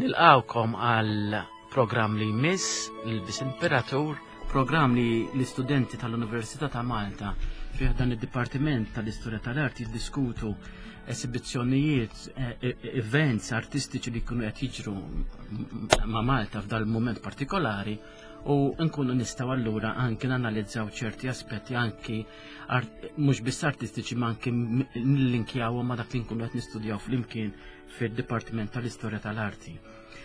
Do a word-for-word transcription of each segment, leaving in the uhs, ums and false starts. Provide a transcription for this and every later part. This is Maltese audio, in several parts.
Nilqawkom għal programm li jmiss l-Bis Imperatur, programm li l-istudenti tal-Università ta' Malta fih dan id-Dipartiment tal-Istorja tal-Arti jiddiskutu esibizzjonijiet, eh, eh, events artistiċi li jkunu qed jiġru ma' Malta f'dal mument partikolari u nkunu nistgħu allura anki nanalizzaw ċerti aspetti anki mhux biss artistiċi ma anki nillinkjawhom ma' dak li nkunu qed nistudjaw flimkien fid-Dipartiment tal-Istorja tal-Arti.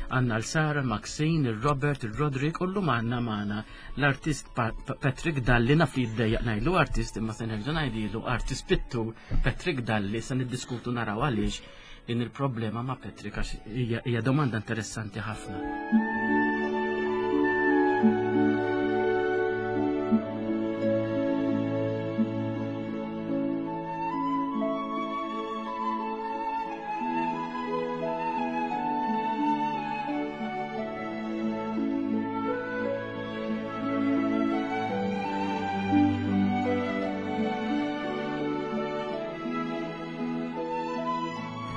Għanna l-Sara, Maxine, il-Robert, il-Rodrik, u l-lum għanna maħna l-artist Patrick Dalli, naf li jiddejjaq ngħidlu artist, imma se nerġa' ngħidilu artist pittur Patrick Dalli, se niddiskutu naraw għaliex din il-problema ma' Patrick għax hija domanda interessanti ħafna.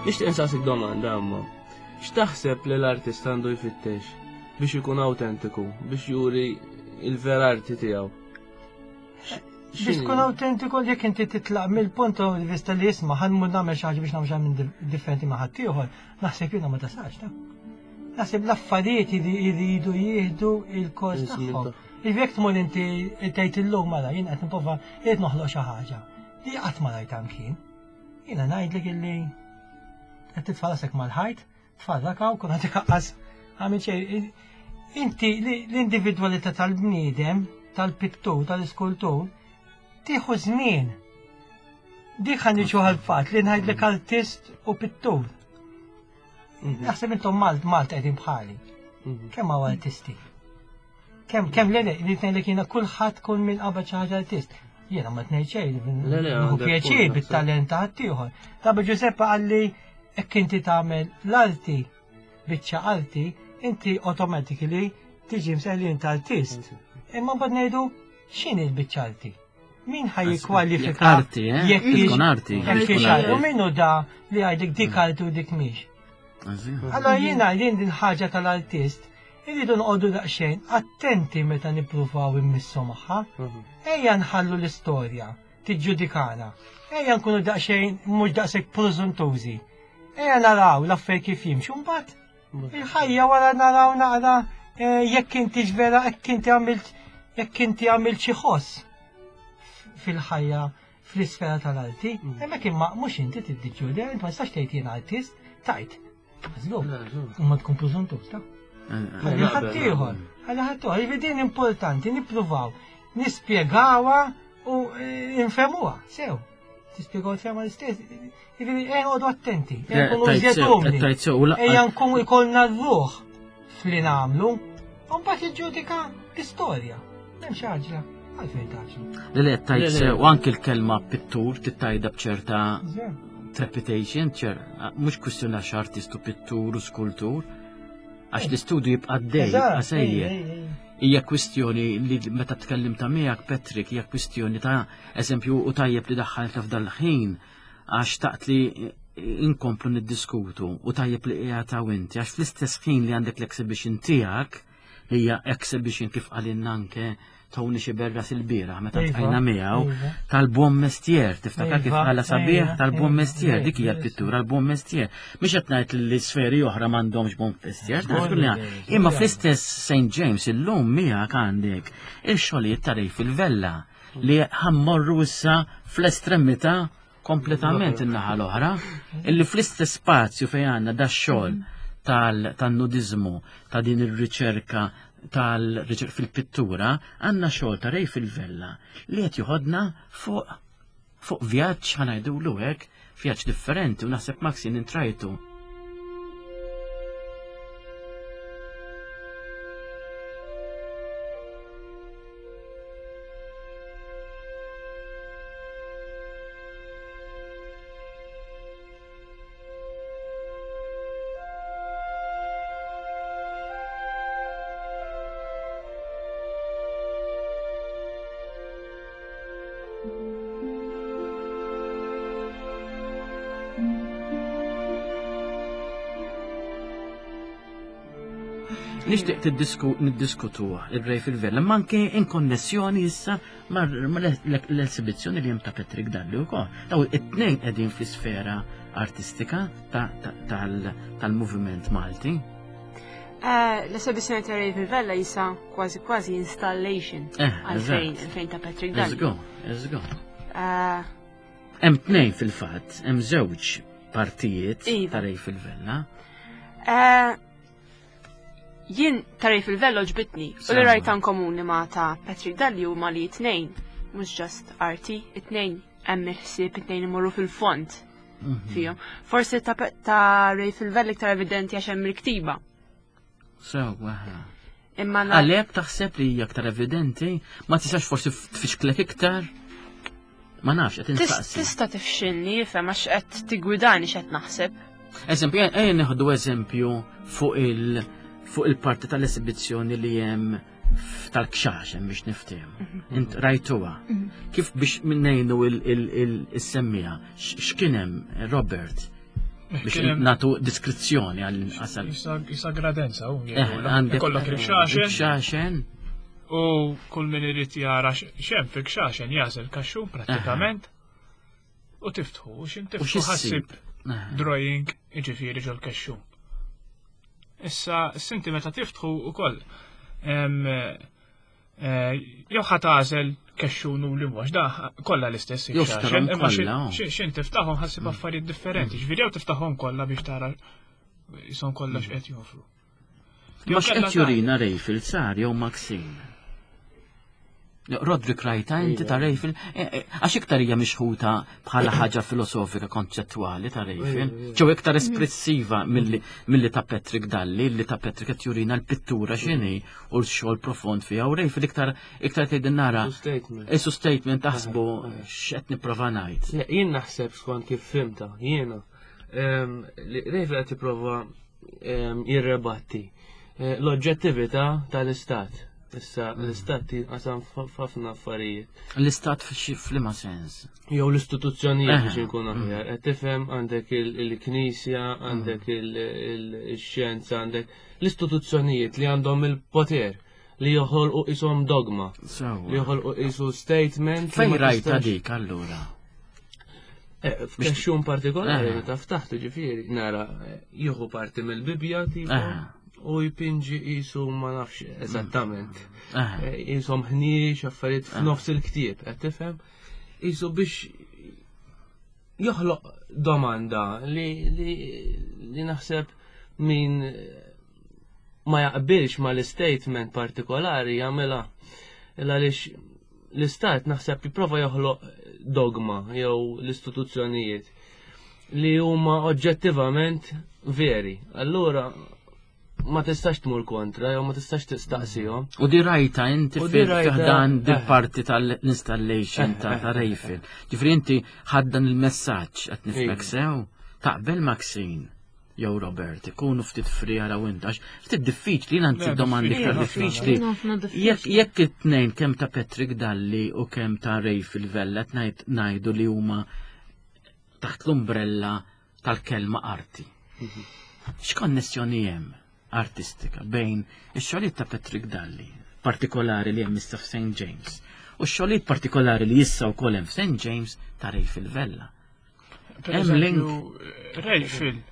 Nixtieq insaqsik domanda amma. X'taħseb li l-artist għandu jfittex biex ikun autentiku, biex juri il-vera arti tiegħu? Biex tkun autentiku jekk inti titlaq mill-punt di vista li jisma' ħanmur nagħmel xi ħaġa biex nagħmel xi minn differenti ma' ħaddieħor, naħseb jiena ma tasalx ta' Naħseb l-affarijiet jridu jieħdu il-kors tagħhom. Jekk tmur inti tgħid illum mela jien qed nipprova qiegħed noħloq xi ħaġa li qatt ma rajt kien. Jiena ngħidlek illi qed titfa' rasek mal-ħajt, tfarraka u kun qed ikaqqas għamil xejn. Inti l-individwalità tal-bniedem, tal-pittur, tal-iskultur, tieħu żmien. Dik ħa niġu għall-fatt li ngħidlek artist u pittur. Mhm. Naħseb intom Malt Malt qegħdin bħali. Mhm. Kemm hawn artisti? Kemm kemm le li ngħidlek jiena kulħadd kull min qabel xi ħaġa artist. Jiena ma tnejn xejn, nieħu pjaċir bit-talent ta' ħaddieħor. Tabi Giuseppe qalli hekk inti tagħmel l-arti, biċċa arti, inti automatically tiġi msejħ li inti artist. Imma mbagħad ngħidu x'inhi l-biċċa arti? Min ħaj jikkwalifika? Arti, eh? Jekk arti. Jekk u minnu da li għajdek dik arti u dik mhix. Allora jiena din din ħaġa tal-artist irridu noqogħdu daqsxejn attenti meta nippruvaw immissu magħha. Mhm. Ejja nħallu l-istorja tiġġudikana. Ejja nkunu daqsxejn mhux daqshekk preżuntużi. Ejja naraw l-affarijiet kif jimxu mbagħad il-ħajja wara naraw naqra eh, jekk inti vera jekk inti għamilt jekk inti għamilt xi ħoss fil-ħajja fl-isfera tal-arti, mm. hemmhekk imma mhux inti tiddiġġudja, inti ma tistax tgħid jien artist, tajt. Żgur. U ma tkun preżuntuż ta' eh, eh, Ħalli ħaddieħor, ħalli ħaddieħor, jiġifieri din importanti nippruvaw nispjegawha u nfehmuha sew. Tispjegaw tfehma l-istess. Jiġifieri ejja noqogħdu attenti, ejja nkunu iżjed umli. Ejja nkunu ikollna r-ruħ fli nagħmlu, u mbagħad jiġġudika l-istorja. M'hemmx għaġla, għalfejn taġlu. Le le tajt sew, u anki l-kelma pittur tittajda b'ċerta trepidation, ċer, mhux kwistjoni għax artist u pittur u skultur, għax l-istudju jibqa' dej, jibqa' sejjer. Hija kwistjoni li meta tkellim ta' miegħek Patrick, hija kwistjoni ta' eżempju u tajjeb li daħħalta f'dal ħin għax taqt li inkomplu niddiskutu u tajjeb li qiegħed hawn inti għax fl-istess ħin li għandek l-exhibition tiegħek li hija exhibition kif qalilna anke Tony Xiberras il-bieraħ meta Iva, tqajna miegħu iva. tal-buon mestier, tiftakar kif Iva, qala sabiħ iva, tal-buon iva, mestier, iva, dik hija l-pittura l-buon mestier. Mhix qed ngħid li sferi oħra m'għandhomx buon mestier, Żgur żgur li li għand. żgur Imma li fl-istess Saint James illum miegħek għandek il-xogħlijiet ta' Ray fil-Vella li ħammorru issa fl-estremità kompletament in-naħa l-oħra, illi fl-istess spazju fejn għandna da xogħol tal-nudizmu, ta' din ir-riċerka tal-riċerka fil-pittura, għandna xogħol ta' Ray fil-Vella li qed joħodna fuq fuq vjaġġ ħa ngħidulu hekk, vjaġġ differenti u naħseb Maxine intrajtu. Nixtieq tiddisku niddiskutu il-Ray fil-Vella, ma anke in konnessjoni issa ma' l-esibizzjoni li hemm ta' Patrick Dalli wkoll. Daw it-tnejn qegħdin fl-isfera artistika ta- ta- tal- tal-moviment Malti. Eh, L-esibizzjoni ta' Ray Vella jisa kważi kważi installation Eh, għalfejn eżatt. għalfejn ta' Patrick Let's Dalli. go, let's go. Eh, Hemm tnejn fil-fatt, hemm żewġ partijiet Iva. ta' Ray fil-Vella. eh, Jien ta' Ray fil-Vella ġbitni u li Sewwa. rajta komuni ma' ta' Patrick Dalli huma li tnejn, mhux just arti, it-tnejn hemm il-ħsieb it-tnejn imorru fil-fond Mhm. fihom. Forsi ta' Pe- ta' Ray fil-Vella iktar evidenti għax hemm il-ktiba. Sewwa. Imma na- Għalhekk taħseb li hija aktar evidenti, ma tistax forsi tfixklek iktar? Ma nafx, qed Tis- insaqsi. Tista' tifxilni, fem għax qed tigwidani x'qed naħseb. Eżempju, ejja nieħdu eżempju fuq il fuq il-parti tal-esibizzjoni li hemm f- tal-kxaxen biex niftehmu. Int rajtuha. Kif biex minnejnu il-semmija, x'kien hemm Robert biex Kien hemm- natu diskrizzjoni għall-inqas. Jisa jisa gradenza, u Eh, jgħidulha. għandek Ikollok il-kxaxen il-kxaxen. u kull min irid jara x'hemm fil-kxaxen jażel kaxxun prattikament u tiftħu, u x'in U tiftħu x'issib? ħassib Eh, drawing iġifieri ġol kexxun. Issa, sinti meta tiftħu ukoll em, eh, jew ħa tagħżel kexxun u li mhux da kollha l-istess Jew il-kxaxen, ftaħhom imma xin- kollha, oh. xin xin tiftaħhom ħassib affarijiet differenti, ġifieri jew tiftaħhom kollha biex tara jisom kollha x'qed joffru. Ma Jew x'qed kellha jurina Rayfield sar jew Maxine? Roderick rajta inti ta' Rayfield, eh, eh, għax iktar hija mixħuta bħala ħaġa filosofika konċettwali ta' Rayfield, ġew iktar espressiva milli milli ta' Patrick Dalli, li ta' Patrick qed jurina l-pittura x'inhi u l-xogħol profond fiha u Rayfield iktar iktar tgħidin nara Su statement. Isu statement taħsbu x'qed nipprova ngħid. Le, Jien naħseb skont kif fimta, jiena. em, li Rayfield qed jipprova em, jirrebatti eh, l-oġġettività tal-istat. Issa l-istat jinqasam f'ħafna affarijiet. L-istat f'xi f'liema sens. Jew l-istituzzjonijiet Eh, biex inkun aħjar. Qed tifhem għandek il- il-knisja, għandek il- il- il-xjenza, għandek l-istituzzjonijiet li għandhom il-poter li joħolqu ishom dogma, li Sewwa. joħolqu isu statement. li Fejn ma rajta tistax- dik allura? Eh, F'kexxun partikolari Eh. meta ftaħtu ġifieri nara eh, jieħu parti mill-Bibja tipo Eh. u jpinġi qisu ma nafx eżattament. Eh. Eh, Qishom ħniex affarijiet f'nofs il-ktieb, qed tifhem? Qisu biex joħloq domanda li li li naħseb min ma jaqbilx ma l-statement partikolari jagħmilha. Għaliex l-istat naħseb jipprova joħloq dogma jew l-istituzzjonijiet li huma oġġettivament veri. Allura ma tistax tmur kontra jew ma tistax tistaqsihom. U di rajta inti U di rajta- fil-ħdan eh. dil-parti tal-installation ta' Eh, ta' Rayfield. Ġifri inti ħaddan il-messaġġ qed nifhmek Iva. sew. Taqbel Maxine jew Robert ikunu ftit free għara u inti għax ftit diffiċli jien għandi Le, domandi iktar diffiċli diffiċli. Ħafna diffiċli. Jekk jekk it-tnejn kemm ta' Patrick Dalli u kemm ta' Rayfield Vella qed ngħid ngħidu li huma taħt l-umbrella tal-kelma arti. X'konnessjoni hemm artistika bejn ix-xogħlijiet ta' Patrick Dalli, partikolari li hemm issa f'Saint James, u x-xogħlijiet partikolari li issa wkoll hemm f'Saint James ta' Rayfield Vella. Per Hemm link. eżempju, Rayfield,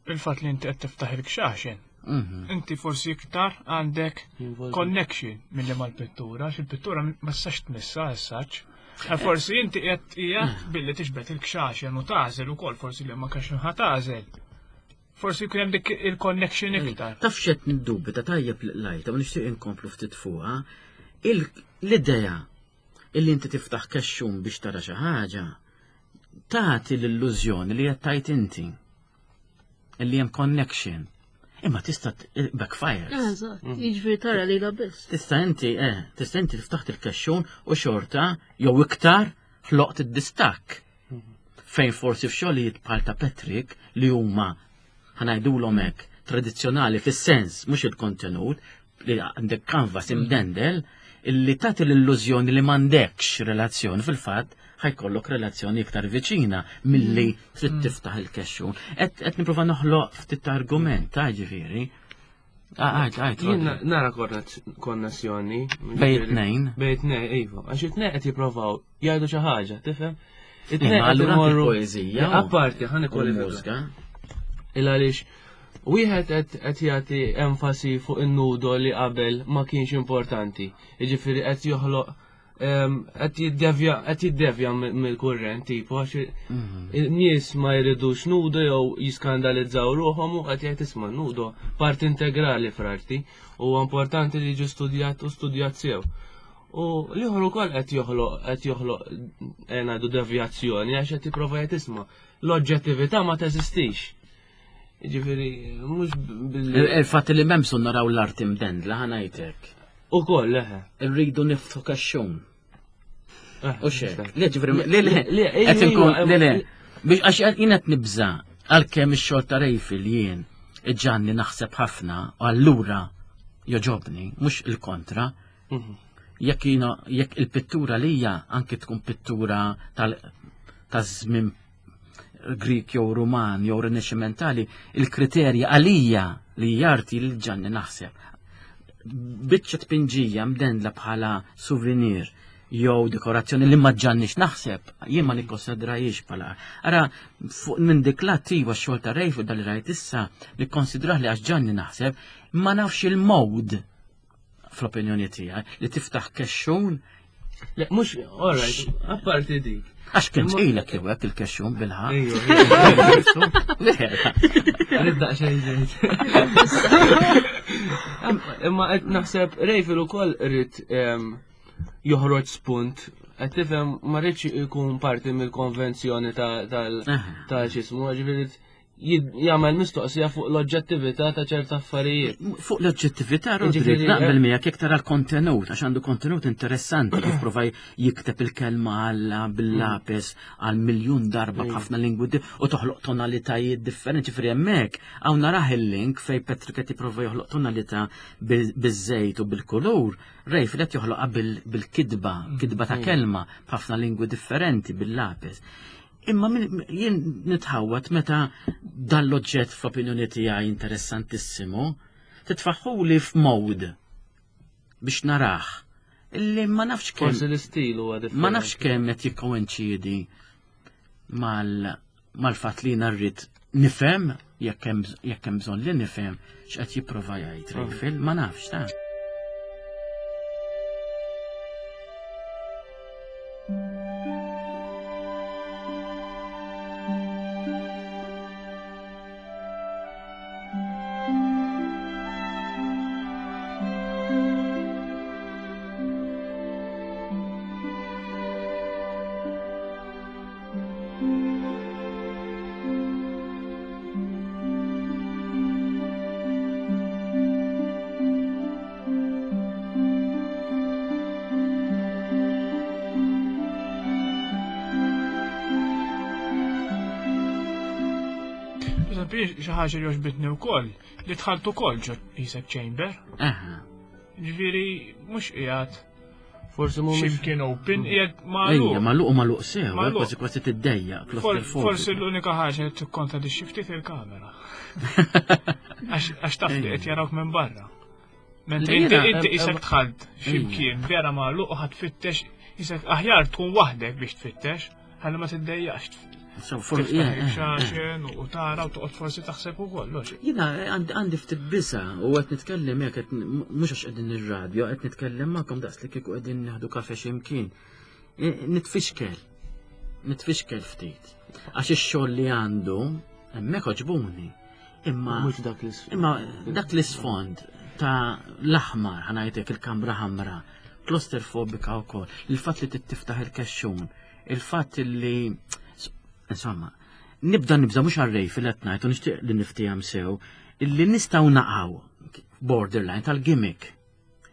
il-fatt li inti qed tiftaħ il-kxaxen, Mhm. inti forsi iktar għandek Jinvolvi. connection milli mal-pittura, għax il-pittura ma tistax tmissa essaċ. Forsi inti qed qiegħed billi tiġbed il-kxaxen u tagħżel ukoll forsi li ma kaxxun ħa tagħżel. Forsi jkun hemm dik il-connection iktar. Taf xed niddubita tajjeb lajta, u nixtieq inkomplu ftit fuqha, il- l-idea illi inti tiftaħ kexxun biex tara xi ħaġa tagħti l-illużjoni li qed tajt inti illi hemm connection. Imma tista' t- backfires. Eżatt, jiġifieri tara li la biss. Tista' inti, eh, tista' inti tiftaħ il-kexxun u xorta jew iktar ħloqt id-distakk. Fejn forsi f'xogħlijiet bħal ta' Patrick li huma ħanajdulhom hekk tradizzjonali fis-sens mhux il-kontenut li għandek canvas imdendel illi tagħti l-illużjoni li m'għandekx relazzjoni fil-fatt ħajkollok relazzjoni iktar viċina milli trid tiftaħ il-kexxun. Qed qed nipprova noħloq ftit ta' argument ta' ġifieri. Għajt, għajt. Jien nara konnessjoni. Bejn it-tnejn. Bejn it-tnejn, iva. Għax it-tnejn qed jipprovaw jgħidu xi ħaġa, tifhem? It-tnejn qed imorru. Poeżija. Apparti, ħa nikkwalifika. Il għaliex wieħed qed jagħti enfasi fuq in-nudo li qabel ma kienx importanti. Jiġifieri qed joħloq qed jiddevja qed jiddevja mill-kurrent tipo għax nies ma jridux nudo jew jiskandalizzaw ruħhom u qed jgħid isma' nudo parti integrali fl-arti huwa importanti li jiġi studjat u studjat sew. U l-ieħor ukoll qed joħloq qed joħloq ngħidu devjazzjoni għax qed jipprova jgħid isma' l-oġġettività ma teżistix. Jiġifieri mhux billi Il-fatt li m'hemm bżonn naraw l-arti mdendla ħa ngħidlek. Ukoll leħe. Irridu niftħu kaxxun. U xek. Le ġifri, le le, qed inkun, le le, biex għax jien qed nibża' għalkemm ix-xogħol ta' Rejfil jien iġanni naħseb ħafna u allura joġobni, mhux il-kontra. Jekk jiena jekk il-pittura lija anki tkun pittura tal taż-żmien Grik jew Ruman jew Rinascimentali, il-kriterja għalija li jarti li ġanni naħseb. Biċċa tpinġija mdendla bħala souvenir jew dekorazzjoni li ma ġannix naħseb, jien ma nikkonsidrajiex bħala. Ara, fuq minn dik l-attiva x-xogħol ta' Rejf u dal rajt issa nikkonsidrah li għax ġanni naħseb, ma nafx il-mod fl-opinjoni tiegħi li tiftaħ kexxun. Le, mhux, all right, apparti dik. Għax kien tqilek jew hekk il-kexxun bilħaq. Nibda xejn ġejt. Imma qed naħseb Rejfil ukoll irid joħroġ spunt, qed tifhem ma rridx ikun parti mill-konvenzjoni tal-xismu, ġifieri jagħmel mistoqsija fuq l-oġġettività ta' ċerta affarijiet. Fuq l-oġġettività, Rodrik, naqbel miegħek jekk tara l-kontenut, għax għandu kontenut interessanti kif prova jikteb il-kelma Alla bil-lapis għal miljun darba b'ħafna lingwi u toħloq tonalitajiet differenti. Ġifieri hemmhekk hawn narah il-link fej Patrick qed jipprova joħloq tonalità biż-żejt u bil-kulur, Rejfil qed joħloqha bil-kitba, kitba ta' kelma b'ħafna lingwi differenti bil-lapis. Imma jien nitħawat meta dan l-oġġett fl-opinjoni tiegħi interessantissimu titfaħħuli f'mod biex narah illi ma nafx kemm. Forsi l-istil huwa differenti. Ma nafx kemm qed jikkoinċidi mal-fatt li jiena rrid nifhem jekk hemm bżonn li nifhem x'qed jipprova jgħid Rejfil, ma nafx ta'. Xi ħaġa li għoġbitni wkoll li dħalt ukoll ġo qisek chamber. Ġifieri mhux qiegħed forsi mhumiex x'imkien open, qiegħed magħluq. Ejja, magħluq u magħluq sew, kważi kważi tiddejjaq. Forsi l-unika ħaġa li tikkontradixxi ftit il-kamera. Għax taf li qed jarawk minn barra. Mentri inti inti qisek dħalt x'imkien vera magħluq u ħadd tfittex qisek aħjar tkun waħdek biex tfittex, ħalli ma tiddejjaqx. Xaxen u tara u toqgħod forsi taħseb ukoll. Jiena għandi ftit biża' u qed nitkellem hekk mhux għax qegħdin ir-radju, qed nitkellem magħkom daqs li kieku qegħdin nieħdu kafe x'imkien. Nitfixkel. Nitfixkel ftit. Għax ix-xogħol li għandu hemmhekk oġbuni. Imma mhux dak l-isfond. Imma dak l-isfond ta' l-aħmar, ħanajtek il-kamra ħamra, klosterfobika wkoll, il-fatt li tiftaħ il-kexxun, il-fatt li insomma, nibda nibża mhux għar Rejfil qed ngħid u nixtieq li niftihom sew, illi nistgħu naqgħu borderline tal-gimmick.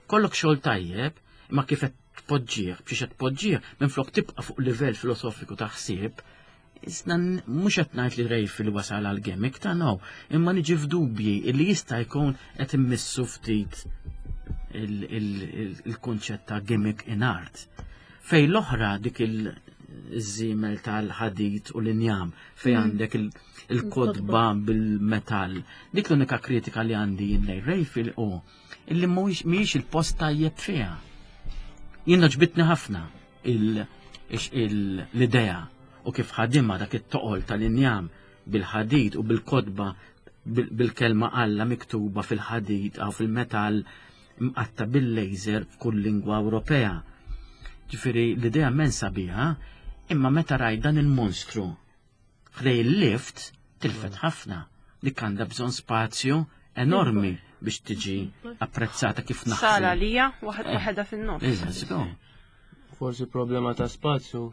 Kollok xogħol tajjeb, imma kif qed tpoġġih, biex qed tpoġġih, minflok tibqa' fuq livell filosofiku ta' ħsieb, isna mhux qed ngħid li Rejfil wasal għal gimmick ta' no, imma niġi f'dubji illi jista' jkun qed immissu ftit il-kunċett ta' gimmick in art. Fej l-oħra dik il- iż-żiemel tal-ħadid u l-injam fejn għandek il- il-kotba bil-metall. Dik l-unika kritika li għandi jien lejn Rayfield u illi mhuwiex mhijiex il-post tajjeb fiha. Jien għoġbitni ħafna il- ix- il- l-idea u kif ħadimha dak it-toqol tal-injam bil-ħadid u bil-kotba bil- bil-kelma Alla miktuba fil-ħadid aw fil-metall mqatta bil-laser f'kull lingwa Ewropea. Ġifieri l-idea mensa biha, imma meta rajt dan il-monstru ħdejn il-lift tilfet ħafna. Dik għandha bżonn spazju enormi biex tiġi apprezzata kif Sala naħseb. lija, waħed waħedha fin-nofs. Iżda, żgur. Forsi problema ta' spazju.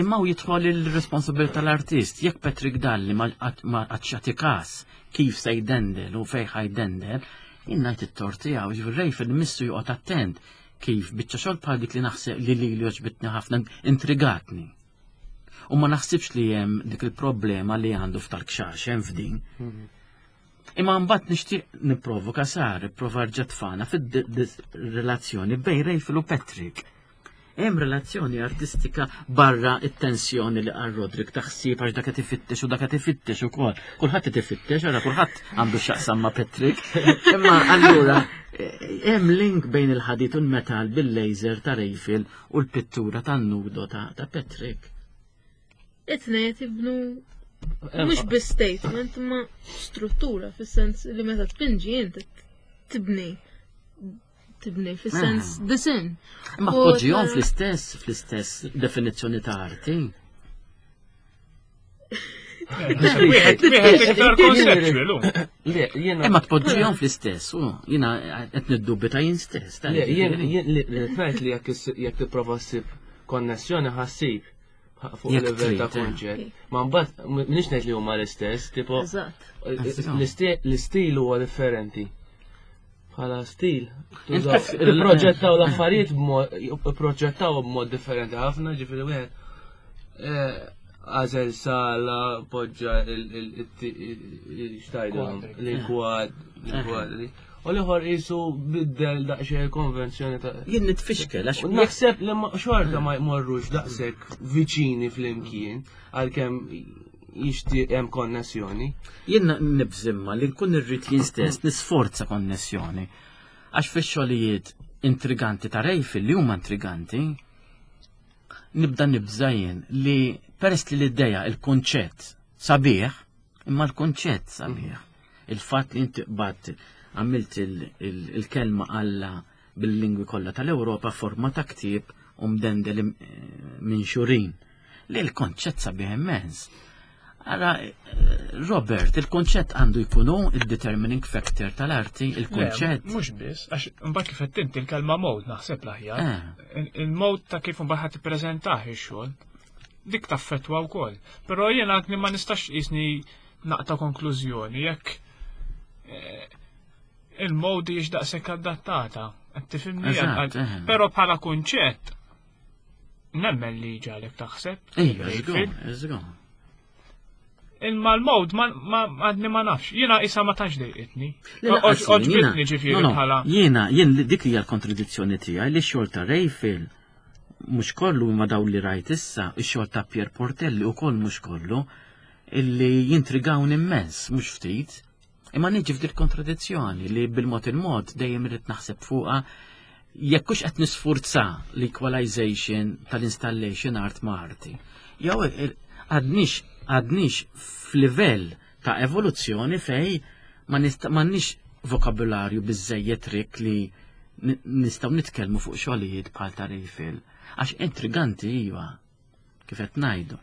Imma u jidħol il-responsabilità tal-artist. Jekk Patrick Dalli ma għadx każ kif se jdendel u fej ħa jdendel, jien ngħid it-tort tiegħu, ġifieri Rayfield missu joqgħod attent kif biċċa xogħol bħal dik li naħseb li li li għoġbitni ħafna intrigatni. U ma naħsibx li hemm dik il-problema li għandu f'tal-kxax hemm f'din. Imma mbagħad nixtieq nipprovoka sar, nipprova rġa' tfana fid-relazzjoni bejn Rayfield u Patrick. Hemm relazzjoni artistika barra it-tensjoni li qal Roderick taħsib għax dak qed ifittex u dak qed ifittex ukoll. Kulħadd qed ifittex, ara kulħadd għandu x'jaqsam ma' Patrick. Imma allura eh, hemm link bejn il-ħadid u l-metal bil-laser ta' Rayfield u l-pittura tan-nudo ta' ta' Patrick. It-tnejn jibnu mhux biss statement ma struttura fis-sens li meta tpinġi inti tibni tibni fis-sens Ah. design. Imma U tpoġġihom ta- fl-istess fl-istess definizzjoni ta' arti. Wieħed wieħed iktar conceptual, hu. Le, jiena. Imma tpoġġihom fl-istess, u jiena qed niddubita jien stess. ta' Le, jien ġifieri. jien li li ngħid li jekk is- jekk tipprova ssib konnessjoni ħa ssib fuq Jekk livell ta' trid, eh. konċett. Ma mbagħad m'iniex ngħid li huma l-istess, tipo Eżatt. l-isti- l-istil huwa differenti. Bħala stil. Int tużaw- kif- Ipproġettaw l-affarijiet b'mod ipproġettaw b'mod differenti ħafna, ġifieri wieħed eh, għażel sala, poġġa il-xtajdhom, l-kwad, l-kwadri. U l-ieħor qisu biddel daqsxejn konvenzjoni ta' Jien nitfixkel għax U naħseb li ma- xorta ma jmorrux daqshekk viċini flimkien għalkemm jixtieq hemm konnessjoni. Jien nibżimma li nkun irrid jien stess nisforza konnessjoni. Għax fix-xogħlijiet intriganti ta' Rayfield li huma intriganti, nibda nibża jien li peress li l-idea il-kunċett sabiħ, imma l-kunċett sabiħ. Il-fatt li inti qbadt għamilt il- il- il-kelma Alla bil-lingwi kollha tal-Ewropa forma ta' ktieb u mdendel im- minn xurin. Li l-konċett sabiħ immens. Ara, eh, Robert, il-konċett għandu jkunu il-determining factor tal-arti, il-konċett. Mhux biss, għax mbagħad kif qed inti il-kelma mode naħseb l-aħjar. Eh, Il- Il-mode ta' kif mbagħad ħadd tippreżentah ix-xogħol. Dik taffettwa wkoll. Però jiena għadni ma nistax qisni naqta' konklużjoni jekk eh, il-mode hijiex daqshekk adattata. Qed tifhimni? Eżatt, eh. Però bħala kunċett nemmen li ġalek taħseb. Ejja, żgur, żgur. Imma l-mode ma ma- għadni ma nafx. Jiena isa ma tantx dejqitni. Le, laqas jien, jiena- Għoġbitni ġifieri no, no, bħala. Jiena, jien li- dik hija l-kontradizzjoni tiegħi li x-xogħol ta' Rayfield mhux kollu imma daw li rajt issa, ix-xogħol ta' Pier Portelli ukoll mhux kollu, illi jintrigawni immens, mhux ftit. Imma niġi f'dil kontradizzjoni li bil-mod il-mod dejjem irrid naħseb fuqha jekk hux qed nisfurza l-equalization tal-installation art ma' arti. Jew il- għadnix għadnix f'livell ta' evoluzzjoni fej ma nista' m'għandniex vokabularju biżejjed rik li ni- nistgħu nitkellmu fuq xogħlijiet bħal ta' Rayfield. Għax intriganti iva, kif qed ngħidu.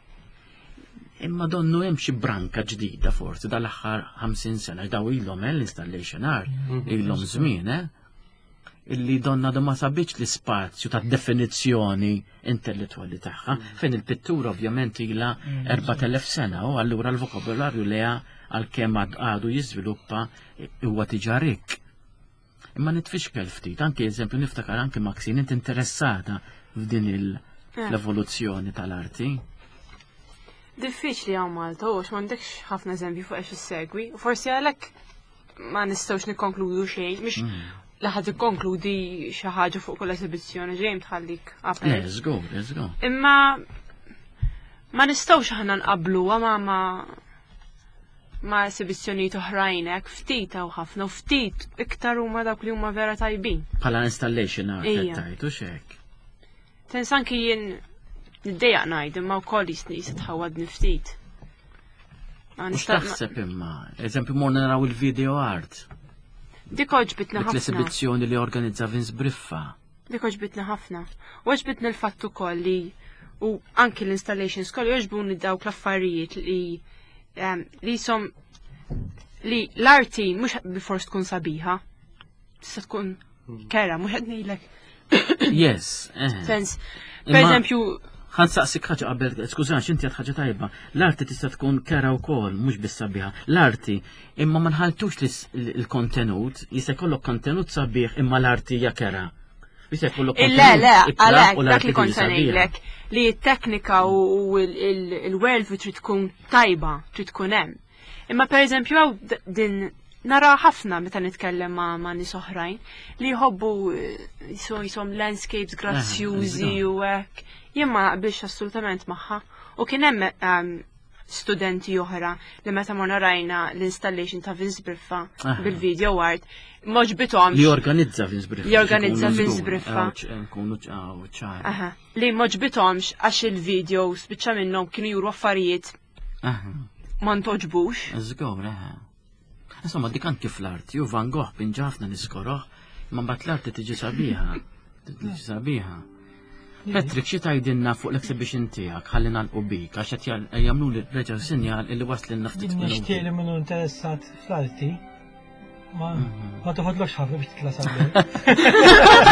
Imma donnu hemm xi branka ġdida forsi dal-aħħar ħamsin sena daw ilhom eh, l-installation art, ilhom żmien, eh? Illi donna do ma sabitx l-ispazju ta' definizzjoni intellettwali tagħha, fejn il-pittura ovvjament ilha erbat elef sena u allura l-vokabularju leha għalkemm għad- għadu jiżviluppa huwa diġà rik. Imma nitfixkel ftit, anke eżempju niftakar anke Maxine inti interessata f'din il- Eh. l-evoluzzjoni tal-arti. Diffiċli hawn Malta, u għax m'għandekx ħafna eżempji fuq għax issegwi. U forsi għalhekk ma nistgħux nikkonkludu xejn, mhix Mm. li ħadd ikkonkludi xi ħaġa fuq kull esibizzjoni ġejjem tħallik Le, apert. żgur, żgur. Imma Ma nistgħux aħna nqabbluha ma ma ma esibizzjonijiet oħrajn hekk ftit hawn ħafna u ftit iktar huma dawk li huma vera tajbin. Bħala installation art Ija. qed tgħid u x'hekk. Sens anki jien niddejjaq ngħid imma wkoll jisni jisitħawadni ftit. Ma U nista' ma- x'taħseb imma? Eżempju morna naraw il-video art. Dik għoġbitni Dik ħafna. l-esibizzjoni li organizza Vince Briffa. Dik għoġbitni ħafna. U għoġbitni l-fatt ukoll li u anki l-installations koll jogħġbuni dawk l-affarijiet li em, li jisom li l-arti mhux bilfors tkun sabiħa. Tista' tkun kera, mhux qed ngħidlek. Yes. eh. Sens, per Imma- eżempju, Ħa nsaqsik ħaġa qabel, skużani, inti għedt ħaġa tajba. L-arti tista' tkun kera wkoll, mhux biss sabiħa. L-arti, imma ma nħaltux lis- l-kontenut, jista' jkollok kontenut sabiħ imma l-arti hija kera. Jista' jkollok Le, kontenut le, ikrah għalek, u dak l-arti li kont tiġi sabiħa. ngħidlek li t-teknika u u il-worldview trid tkun tajba, trid tkun hemm. Imma per eżempju hawn d- din nara ħafna meta nitkellem ma' ma' nies oħrajn li jħobbu eh, jisom jisom landscapes grazzjużi żgur. u hekk. Jien ma naqbilx assolutament magħha. U kien hemm ehm, studenti oħra li meta morna rajna l-installation ta' Vince Briffa Aha. bil-video art, m'għoġbithomx. Li organizza Vince Briffa. Li organizza biex ikunu Vince żgur. Briffa. Aw, ċ- Nkunu ċaw ċar. Aha. Li m'għoġbithomx għax il-video spiċċa minnhom kienu juru affarijiet Aha. ma ntoġbux. Żgur, eħe. Insomma, dik anki fl-arti, u Van Gogh pinġa ħafna niskoroh, imma mbagħad l-arti tiġi sabiħa. Tiġi sabiħa. Patrick, xi tgħidilna fuq l-exhibition tiegħek ħalli nagħlqu bik għax qed jal- jagħmlu li reġgħu sinjal illi waslilna ftit Nixtieq minuti. li minnu interessat fl-arti ma Mhm. ma toħodlokx ħafna biex titla' sabiħ.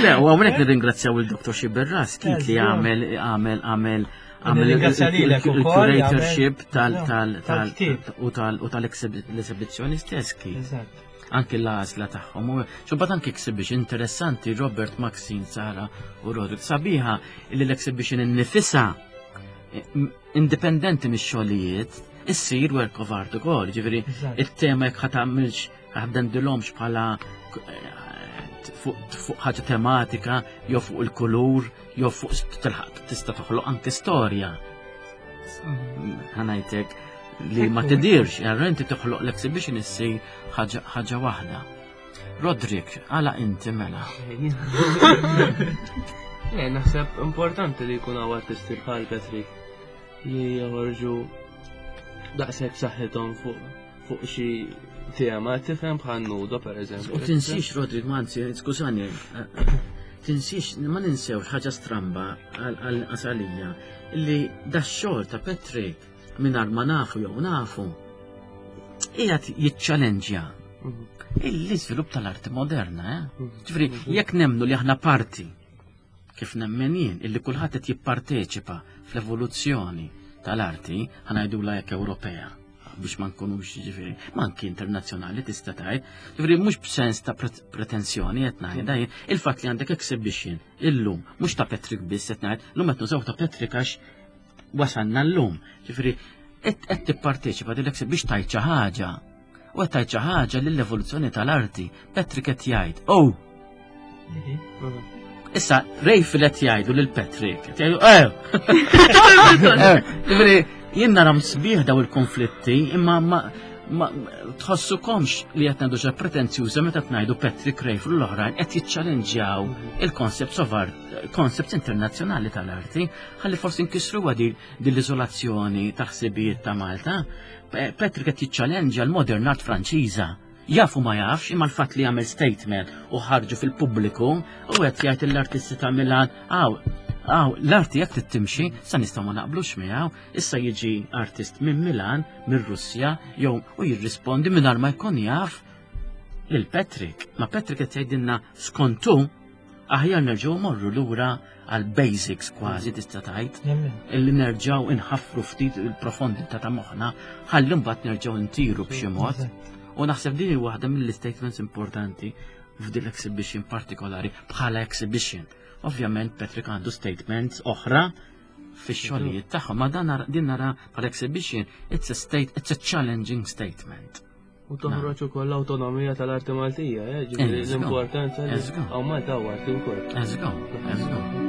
Le, u hawnhekk nirringrazzjaw il-Dottor Xiberras kif li Eżatt. għamel għamel għamel għamel Nirringrazzja lilek ukoll, il-curatorship għamel- tal tal tal tal-ktieb. u tal u tal-esibizzjoni stess kif. Eżatt. Anki l-għażla tagħhom. U xubbat anki exhibition interessanti Robert Maxine, Sara u Roderick. Sabiħa li l-exhibition innifisha eh, m- indipendenti mix-xogħlijiet issir work of art ukoll, ġifieri Eżatt. it-tema jekk ħa tagħmilx ħaddendilhomx bħala eh, fuq fuq ħaġa tematika, jew fuq il-kulur, jew fuq st- tilħaq tista' toħloq anke storja. Ħa ngħidlek li ma Ekku, tidirx, għarra inti toħloq l-exhibition issir ħaġa ħaġa waħda. Roderick, għala inti mela. Eh, naħseb importanti li jkun hawn artisti bħal Patrick li joħorġu daqshekk saħħithom fuq fuq xi tema, tifhem bħal nudo per eżempju. U tinsix, Roderick, ma anzi, skużani, eh, tinsix, ma ninsewx ħaġa stramba għal għasalija li da xogħol ta' Patrick mingħajr ma nafu jew nafu qiegħed jiċċallenġja Mhm. l-iżvilupp tal-arti moderna, eh? Mhm. Ġifieri, jekk nemnu li aħna parti kif nemmen jien illi kulħadd qed jipparteċipa fl-evoluzzjoni tal-arti, ħa ngħidula jekk Ewropea biex ma nkunux ġifieri, ma anki internazzjonali tista' tgħid. Ġifieri mhux b'sens ta' pret- pretensjoni qed ngħidha jien, il-fatt li għandek exhibition illum mhux ta' Patrick biss qed ngħid, llum qed nużaw ta' Patrick għax wasalna llum. Ġifieri qed qed tipparteċipa din biex tgħid xi ħaġa. U qed tgħid xi ħaġa lill-evoluzzjoni tal-arti. Patrick qed jgħid, "Oh, Issa, Rejfil qed jgħidu lil Patrick, qed jgħidu, eh! Eh, Ġifieri, jien nara sbieħ daw il-konflitti, imma ma ma tħossukomx li qed ngħidu xi pretenzjuża meta tngħidu Patrick Rejfil u l-oħrajn qed jiċċallenġjaw il-concepts of art, concepts internazzjonali tal-arti, ħalli forsi nkissruha din din l-iżolazzjoni ta' ħsibijiet ta' Malta. Pe- Patrick qed jiċċallenġja l-modern art Franċiża. Jafu ma jafx, imma l-fatt li għamel statement u ħarġu fil-pubbliku u qed jgħid l-artisti ta' Milan, aw, aw, l-arti jekk trid timxi, sa nistgħu ma naqblux miegħu, issa jiġi artist minn Milan, minn Russja, jew u jirrispondi mingħajr ma jkun jaf lil Patrick. Ma Patrick qed jgħidilna skontu aħjar nerġgħu morru lura għal basics kważi tista' tgħid Nemmen. illi nerġgħu inħaffru ftit il-profondità ta' moħħna ħalli mbagħad nerġgħu ntiru b'xi mod. Eżatt. U naħseb din hi waħda mill-statements importanti f'din l-exhibition partikolari bħala exhibition. Ovvjament Patrick għandu statements oħra fix-xogħlijiet tagħhom, ma dan nara- din nara bħala exhibition it's a state it's a challenging statement. U toħroġ ukoll l-awtonomija tal-arti Maltija, eh, ġifieri Eżatt. l-importanza li Eżatt. hawn Malta hawn arti wkoll. Let's go, let's go.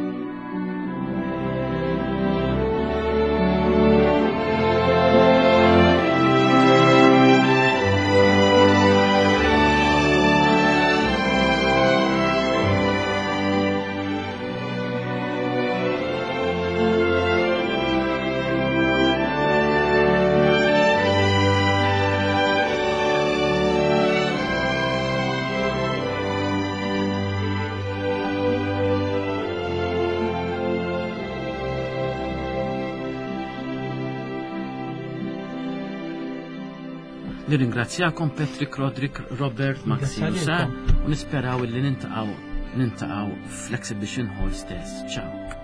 Nirringrazzjakom Patrick, Roderick, Robert, Maxi u Sar u nisperaw illi niltaqgħu niltaqgħu fl-exhibition hall stess. Ciao.